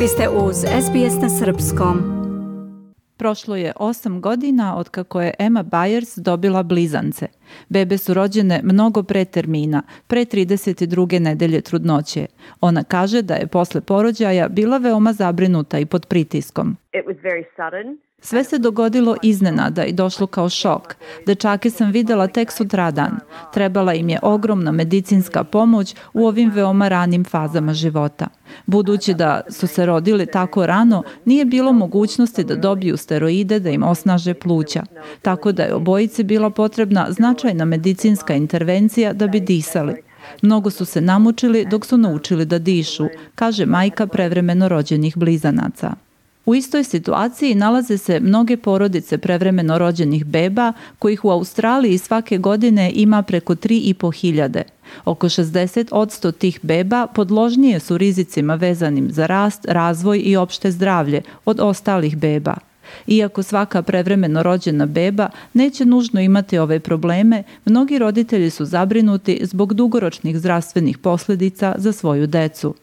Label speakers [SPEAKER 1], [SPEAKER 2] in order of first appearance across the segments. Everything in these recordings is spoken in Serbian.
[SPEAKER 1] Vi ste uz SBS na srpskom.
[SPEAKER 2] Prošlo je 8 godina od kako je Emma Byers dobila blizance. Bebe su rođene mnogo pre termina, pre 32. nedelje trudnoće. Ona kaže da je posle porođaja bila veoma zabrinuta i pod pritiskom. Sve se dogodilo iznenada i došlo kao šok. Dečake sam videla tek sutradan. Trebala im je ogromna medicinska pomoć u ovim veoma ranim fazama života. Budući da su se rodili tako rano, nije bilo mogućnosti da dobiju steroide da im osnaže pluća. Tako da je obojici bila potrebna značajna medicinska intervencija da bi disali. Mnogo su se namučili dok su naučili da dišu, kaže majka prevremeno rođenih blizanaca. U istoj situaciji nalaze se mnoge porodice prevremeno rođenih beba, kojih u Australiji svake godine ima preko 3.500. Oko 60% tih beba podložnije su rizicima vezanim za rast, razvoj i opšte zdravlje od ostalih beba. Iako svaka prevremeno rođena beba neće nužno imati ove probleme, mnogi roditelji su zabrinuti zbog dugoročnih zdravstvenih posljedica za svoju decu.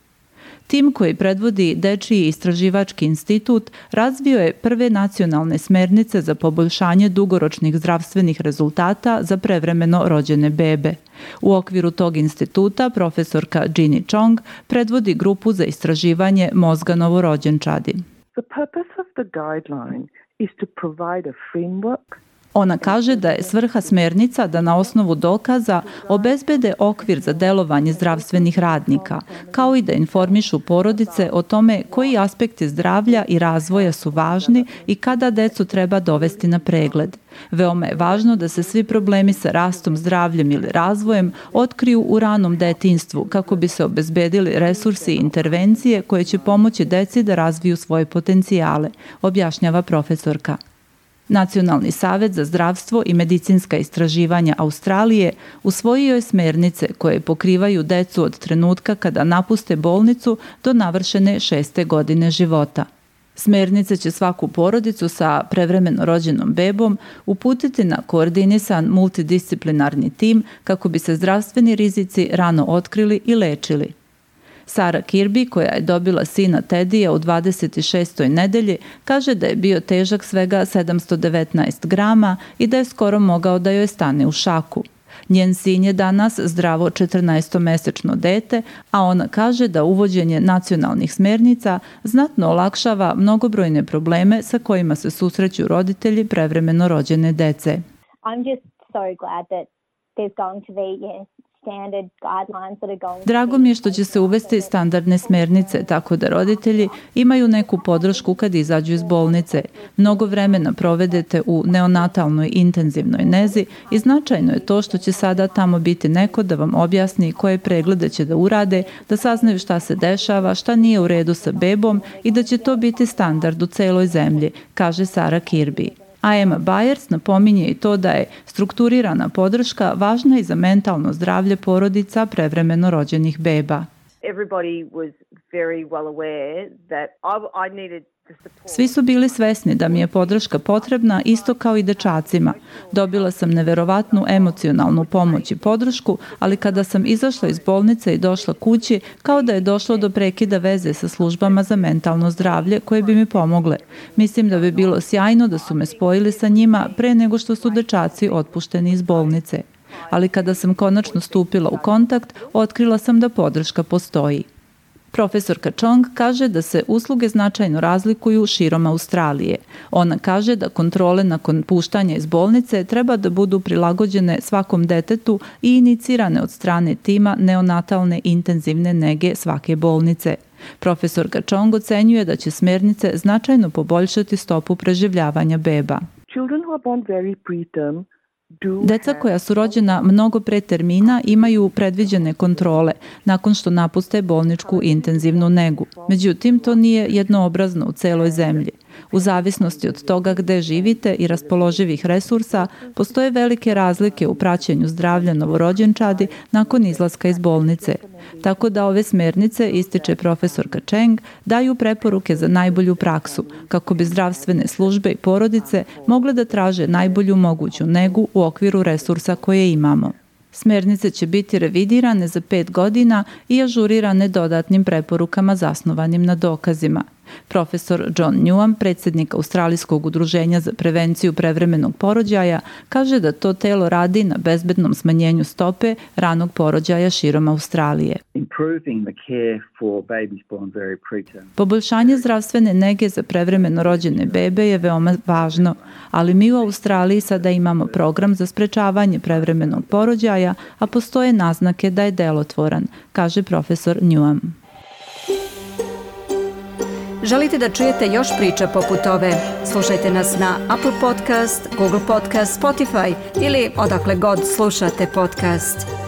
[SPEAKER 2] Tim koji predvodi Dečiji istraživački institut razvio je prve nacionalne smernice za poboljšanje dugoročnih zdravstvenih rezultata za prevremeno rođene bebe. U okviru tog instituta profesorka Ginny Chong predvodi grupu za istraživanje mozga novorođenčadi.
[SPEAKER 3] The purpose of the guideline is to provide a framework.
[SPEAKER 2] Ona kaže da je svrha smernica da na osnovu dokaza obezbede okvir za delovanje zdravstvenih radnika, kao i da informišu porodice o tome koji aspekti zdravlja i razvoja su važni i kada decu treba dovesti na pregled. Veoma je važno da se svi problemi sa rastom, zdravljem ili razvojem otkriju u ranom detinjstvu kako bi se obezbedili resursi i intervencije koje će pomoći deci da razviju svoje potencijale, objašnjava profesorka. Nacionalni savet za zdravstvo i medicinska istraživanja Australije usvojio je smernice koje pokrivaju decu od trenutka kada napuste bolnicu do navršene 6. godine života. Smernice će svaku porodicu sa prevremeno rođenom bebom uputiti na koordinisan multidisciplinarni tim kako bi se zdravstveni rizici rano otkrili i lečili. Sarah Kirby, koja je dobila sina Teddija u 26. nedelji, kaže da je bio težak svega 719 grama i da je skoro mogao da joj stane u šaku. Njen sin je danas zdravo 14-mesečno dete, a ona kaže da uvođenje nacionalnih smernica znatno olakšava mnogobrojne probleme sa kojima se susreću roditelji prevremeno rođene dece.
[SPEAKER 4] I'm just so glad that there's going to be
[SPEAKER 2] Drago mi je što će se uvesti standardne smernice, tako da roditelji imaju neku podršku kad izađu iz bolnice. Mnogo vremena provedete u neonatalnoj intenzivnoj nezi i značajno je to što će sada tamo biti neko da vam objasni koje preglede će da urade, da saznaju šta se dešava, šta nije u redu sa bebom i da će to biti standard u celoj zemlji, kaže Sarah Kirby. A Emma Byers napominje i to da je strukturirana podrška važna i za mentalno zdravlje porodica prevremeno rođenih beba. Svi su bili svesni da mi je podrška potrebna isto kao i dečacima. Dobila sam neverovatnu emocionalnu pomoć i podršku, ali kada sam izašla iz bolnice i došla kući, kao da je došlo do prekida veze sa službama za mentalno zdravlje koje bi mi pomogle. Mislim da bi bilo sjajno da su me spojili sa njima pre nego što su dečaci otpušteni iz bolnice. Ali kada sam konačno stupila u kontakt, otkrila sam da podrška postoji. Profesorka Chong kaže da se usluge značajno razlikuju širom Australije. Ona kaže da kontrole nakon puštanja iz bolnice treba da budu prilagođene svakom detetu i inicirane od strane tima neonatalne intenzivne nege svake bolnice. Profesorka Chong ocenjuje da će smernice značajno poboljšati stopu preživljavanja beba.
[SPEAKER 3] Children who are born very preterm
[SPEAKER 2] Deca koja su rođena mnogo pre termina imaju predviđene kontrole nakon što napuste bolničku intenzivnu negu. Međutim, to nije jednoobrazno u celoj zemlji. U zavisnosti od toga gde živite i raspoloživih resursa, postoje velike razlike u praćenju zdravlja novorođenčadi nakon izlaska iz bolnice. Tako da ove smernice, ističe profesorka Cheng, daju preporuke za najbolju praksu, kako bi zdravstvene službe i porodice mogle da traže najbolju moguću negu u okviru resursa koje imamo. Smernice će biti revidirane za 5 godina i ažurirane dodatnim preporukama zasnovanim na dokazima. Profesor John Newham, predsjednik Australijskog udruženja za prevenciju prevremenog porođaja, kaže da to telo radi na bezbednom smanjenju stope ranog porođaja širom Australije. Poboljšanje zdravstvene nege za prevremeno rođene bebe je veoma važno, ali mi u Australiji sada imamo program za sprečavanje prevremenog porođaja, a postoje naznake da je delotvoran, kaže profesor Newham.
[SPEAKER 1] Želite da čujete još priča poput ove? Slušajte nas na Apple Podcast, Google Podcast, Spotify ili odakle god slušate podcast.